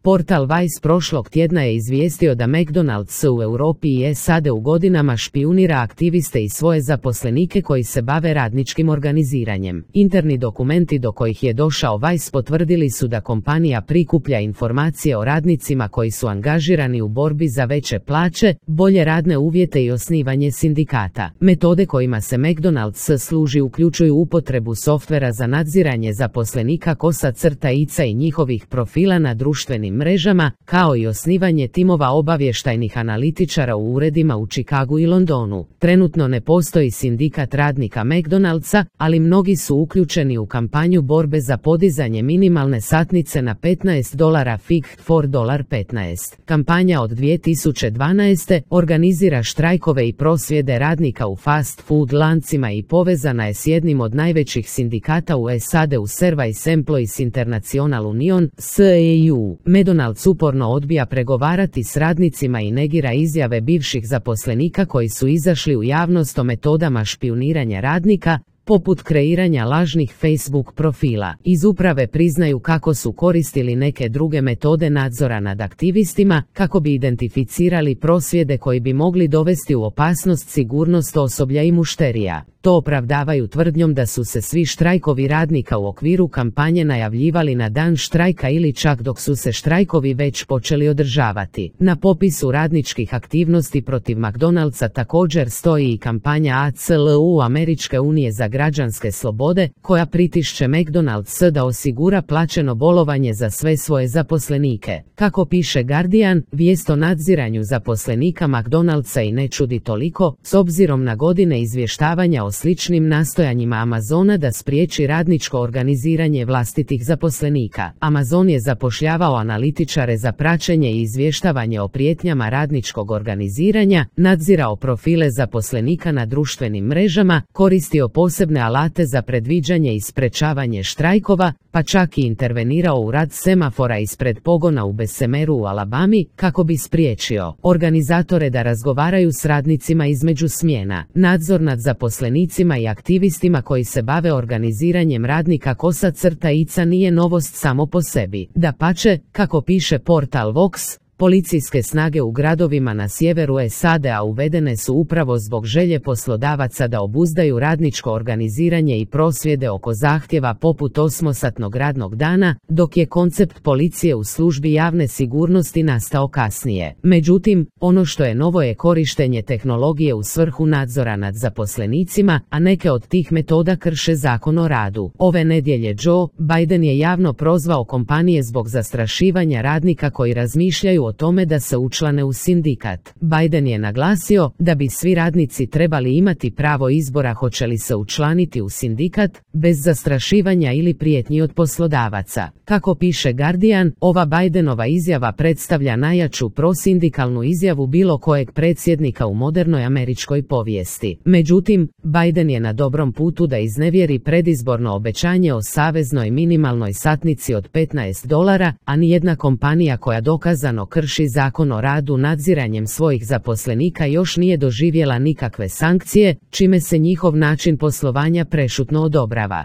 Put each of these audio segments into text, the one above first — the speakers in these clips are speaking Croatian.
Portal Vice prošlog tjedna je izvijestio da McDonald's u Europi i SAD u godinama špijunira aktiviste i svoje zaposlenike koji se bave radničkim organiziranjem. Interni dokumenti do kojih je došao Vice potvrdili su da kompanija prikuplja informacije o radnicima koji su angažirani u borbi za veće plaće, bolje radne uvjete i osnivanje sindikata. Metode kojima se McDonald's služi uključuju upotrebu softvera za nadziranje zaposlenika kosa-ica i njihovih profila na društvenim mrežama, kao i osnivanje timova obavještajnih analitičara u uredima u Chicagu i Londonu. Trenutno ne postoji sindikat radnika McDonald'sa, ali mnogi su uključeni u kampanju borbe za podizanje minimalne satnice na $15 fig for $15. Kampanja od 2012. organizira štrajkove i prosvjede radnika u fast food lancima i povezana je s jednim od najvećih sindikata u SAD-u Service Employees International Union, SEIU. McDonald's uporno odbija pregovarati s radnicima i negira izjave bivših zaposlenika koji su izašli u javnost o metodama špijuniranja radnika, poput kreiranja lažnih Facebook profila. Iz uprave priznaju kako su koristili neke druge metode nadzora nad aktivistima, kako bi identificirali prosvjede koji bi mogli dovesti u opasnost sigurnost osoblja i mušterija. To opravdavaju tvrdnjom da su se svi štrajkovi radnika u okviru kampanje najavljivali na dan štrajka ili čak dok su se štrajkovi već počeli održavati. Na popisu radničkih aktivnosti protiv McDonald'sa također stoji i kampanja ACLU Američke unije za građanske slobode, koja pritišće McDonald's da osigura plaćeno bolovanje za sve svoje zaposlenike. Kako piše Guardian, vijest o nadziranju zaposlenika McDonald'sa i ne čudi toliko, s obzirom na godine izvještavanja o sličnim nastojanjima Amazona da spriječi radničko organiziranje vlastitih zaposlenika. Amazon je zapošljavao analitičare za praćenje i izvještavanje o prijetnjama radničkog organiziranja, nadzirao profile zaposlenika na društvenim mrežama, koristio posebne alate za predviđanje i sprečavanje štrajkova, pa čak i intervenirao u rad semafora ispred pogona u Bessemeru u Alabami, kako bi spriječio organizatore da razgovaraju s radnicima između smjena. Nadzor nad zaposlenicima i aktivistima koji se bave organiziranjem radnika kosa-ica nije novost samo po sebi. Dapače, kako piše portal Vox, policijske snage u gradovima na sjeveru SAD-a uvedene su upravo zbog želje poslodavaca da obuzdaju radničko organiziranje i prosvjede oko zahtjeva poput 8-satnog radnog dana, dok je koncept policije u službi javne sigurnosti nastao kasnije. Međutim, ono što je novo je korištenje tehnologije u svrhu nadzora nad zaposlenicima, a neke od tih metoda krše zakon o radu. Ove nedjelje Joe Biden je javno prozvao kompanije zbog zastrašivanja radnika koji razmišljaju o tome da se učlane u sindikat. Biden je naglasio da bi svi radnici trebali imati pravo izbora hoće li se učlaniti u sindikat, bez zastrašivanja ili prijetnji od poslodavaca. Kako piše Guardian, ova Bidenova izjava predstavlja najjaču prosindikalnu izjavu bilo kojeg predsjednika u modernoj američkoj povijesti. Međutim, Biden je na dobrom putu da iznevjeri predizborno obećanje o saveznoj minimalnoj satnici od $15, a nijedna kompanija koja dokazano krši zakon o radu nadziranjem svojih zaposlenika još nije doživjela nikakve sankcije, čime se njihov način poslovanja prešutno odobrava.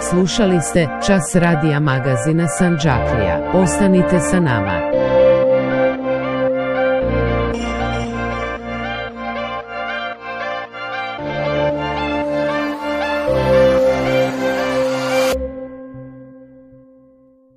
Slušali ste Čas radija magazina Sandžaklija. Ostanite sa nama.